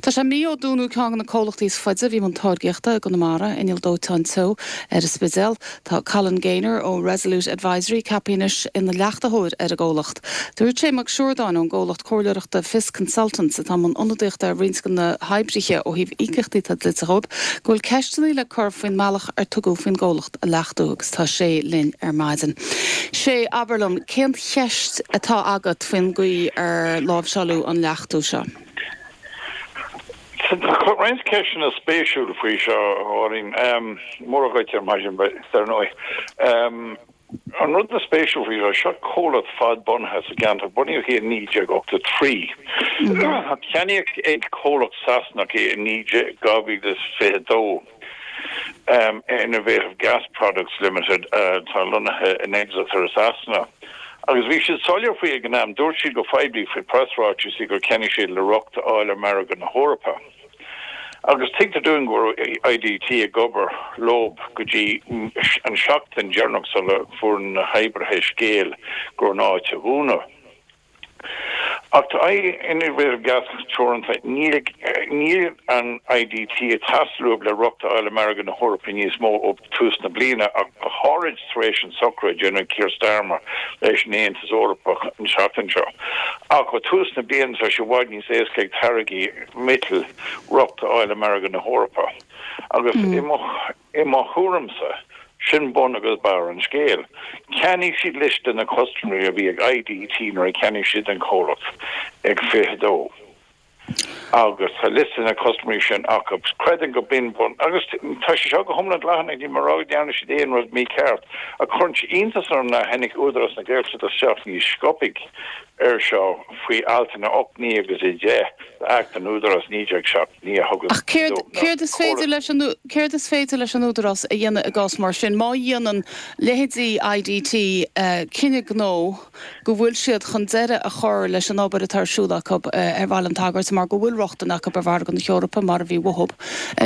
Tá sé mí ó dúnadh ceann de na comhlachtaí is faide a bhí i mbun táirgíochta i gConamara, Inneall Dóiteáin Teo ar an Spidéal. Tá Colin Gaynor ó Resolute Advisory ceaptha anois ina leachtaitheoir ar an gcomhlacht. Dúirt Sé Mac Siúrdáin ón gcomhlacht comhairleoireachta Fios Consultants, atá i mbun ionadaíochta ar roinnt de na hoibrithe ó thaobh íocaíochtaí atá dlite dhóibh, go bhfuil ceisteanna le cur faoin mbealach ar tugadh faoin gcomhlacht a leachtú agus tá Sé linn ar maidin. Sé, abair liom, cén cheist atá agat faoin gcaoi ar láimhseáladh an leachtú seo? Tá roinnt ceisteanna spéisiúla faoi seo, a Mháirín. Móra dhuit ar maidin, dar ndóigh. An rud is spéisiúil faoi seo, seo comhlacht fadbhunaithe sa gceantar, bunaíodh í in 1983. Ceannaíodh ag comhlacht Sasanach í in 2022, Innovative Gas Products Limited, atá lonnaithe in Exeter i Sasana. Agus bhí siad soiléir faoi ag an am, dúirt siad go poiblí faoi preasráitis gur cheannaigh siad le rochtain a fháil ar mhargadh na hEorpa. Agus tuigtear dúinn go raibh IDT ag obair leob go dtí an seachtain deireanach sula fuair na hoibrithe scéal go raibh an áit á dhúnadh. Ach tá Innovative Gas Teoranta, níl níl an IDT ag teastáil uathub le rochtain a fháil ar mhargadh na hEorpa níos mó ó tús na bliana, ach go háirid tar éis an socrú a déanadh Keir Starmer leis an Aontas Eorpach an tseachtain seo. Ach ó tús na bliana tá sé i bhfad níos éasca ag táirgí miotail rochtain a fháil ar mhargadh na hEorpa. Agus i mo i mo thuairimse, sin bun agus barr an scéil. Cheannaigh siad liosta na custaiméirí a bhí ag IDT nuair a cheannaigh siad an comhlacht ag 22. Agus tá liosta na custaiméirí sin acu. Creidim go b'in bun, agus tá sé seo go hiomlán dleathach, níl mé ag rá go ndearna siad aon rud mícheart, ach cuireann sé iontas orm nár tháinig Údarás na Gaeltachta isteach níos sciobtha ar seo faoi altanna 8, 9 agus 10 d'Acht an Údarás 1979 a thugann Ach céard, céard is féidir leis an, céard is féidir leis an Údarás a dhéanamh i gcás mar sin? Má dhéanann leithéidí IDT cinneadh gnó, go bhfuil siad chun deireadh a chur leis an obair atá ar siúl acu ar Bhaile an tSagairt mar go bhfuil rochtain acu ar mhargadh na hEorpa mar a bhí uathu.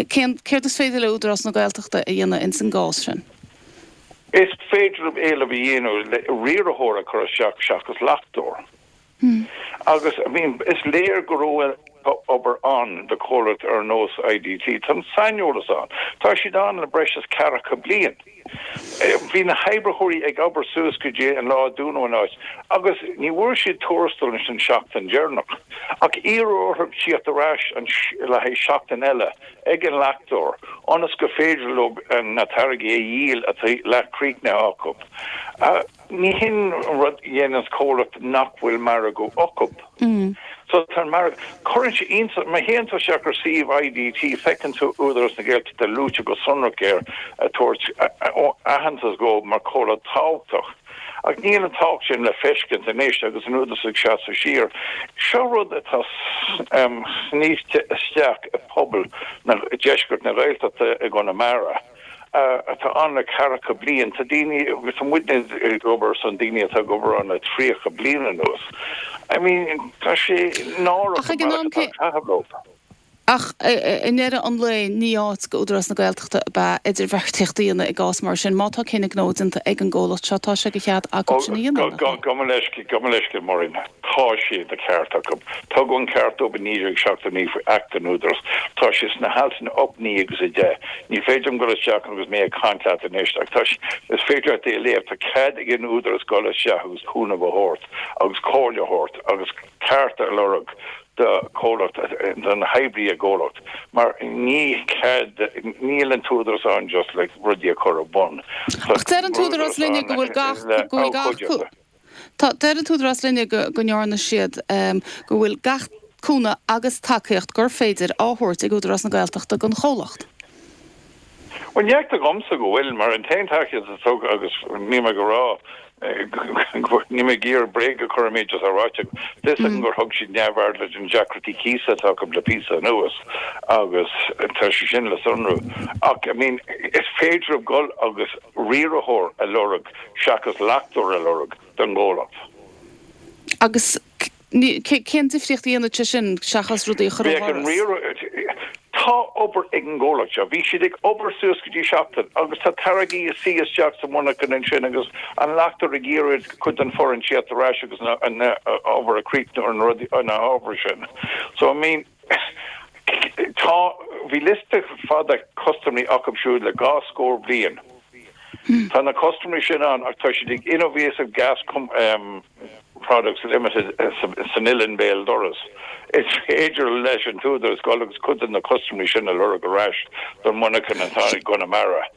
Cén, céard is féidir le Údarás na Gaeltachta a dhéanamh ins an gcás sin? Is féidir leo éileamh a dhéanamh le riarthóir a chur isteach seachas leachtóir. Agus, I mean, is léir go raibh obair ann do chomhlacht ar nós IDT. Tá an saineolas ann. Tá siad ann le breis is ceathracha bliain. Bhí na hoibritheoirí ag obair suas go dtí an lá a dúnadh an áit agus ní bhfuair siad tuarastal ins an seachtain deireanach. Ach iarradh orthu tíocht ar ais le haghaidh seachtain eile ag an leachtóir ionas gur féidir leo na táirgí a dhíol atá leathchríochnaithe acu. Ní hin an rud a dhéananns comhlacht nach bhfuil margadh acu. So tá an margadh, cuireann sé iontas, má théann tú isteach ar suíomh IDT feiceann tú Údarás na Gaeltachta luaite go sonrach air ag tabhairt aitheantas dhó mar chomhlacht tábhachtach. Ach níl an tábhacht sin le feiscint anois agus an Údarás ag seasamh siar. Seo rud atá snoite isteach i pobal na, deisceart na Gaeltachta i gConamara. atá ann le ceathracha bliain. Tá daoine, agus tá muidne ag obair ar son daoine atá ag obair ann le 30 bliain anuas. I mean, tá sé náireach Ach ag an am cé. caitheamh leo. Ach i ndeireadh an lae, ní áit do Údarás na Gaeltachta ab ea idirbheartaíocht a dhéanamh i gcás mar sin. Má tá cinneadh gnó déanta ag an gcomhlacht seo, tá sé de chead acu sin a dhéanamh, nach ea? Gabh mo leithscéal, gabh mo leithscéal, Máirín. Tá sé de cheart acu. Tugadh an ceart dóibh i 1979 faoi Acht an Údarás. Tá sé sna haltanna 8, 9 agus 10. Ní féidir liom dul isteach agus mé ag caint leat anois ach tá sé, is féidir leat é a léamh, tá cead ag an Údarás dul isteach agus cúnamh a thabhairt agus comhairle a thabhairt agus cearta a lorg do chomhlacht, do na hoibrithe i gcomhlacht mar ní cead, níl an tÚdarás ann just le rudaí a chur ar bun. Tá Ach deir an tÚdarás linne go bhfuil gach, go bhfuil gach. Tá, deir an tÚdarás linne go ndearna siad, go bhfuil gach cúnamh agus tacaíocht gur féidir á thabhairt ag Údarás na Gaeltachta don chomhlacht. Bhuel, ní fheictear dhomsa go bhfuil, mar an t-aon tacaíocht a tugadh, agus níl mé ag rá, níl mé ag iarraidh bréag a chur ar an méid atá ráite agam, tá fhios agam gur thug siad neamhaird leis na deacrachtaí cíosa atá acu le píosa anuas agus tá sé sin le sonrú. Ach, I mean, is féidir leo dul agus riarthóir a lorg seachas leachtóir a lorg don gcomhlacht. Agus cén difríocht a dhéanfadh sé sin seachas rudaí a chur ó dhoras? Tá obair ag an gcomhlacht seo. Bhí siad ag obair suas go dtí seachtain agus tá táirgí ag suí isteach sa mhonarcha ansin agus an leachtóir ag iarraidh cuid den foireann tíocht ar ais agus an obair a chríochnú ar na rudaí, ar na hábhair sin. So, I mean. Tá, bhí liosta fada custaiméirí acu siúd le dhá scór bliain. Tá na custaiméirí sin ann ach tá siad ag Innovasive Gas Products Limited san Oileán Béal Dorais. Is féidir leis an tÚdarás dul agus cuid de na custaiméirí sin a lorg ar ais don mhonarcha atá i gConamara.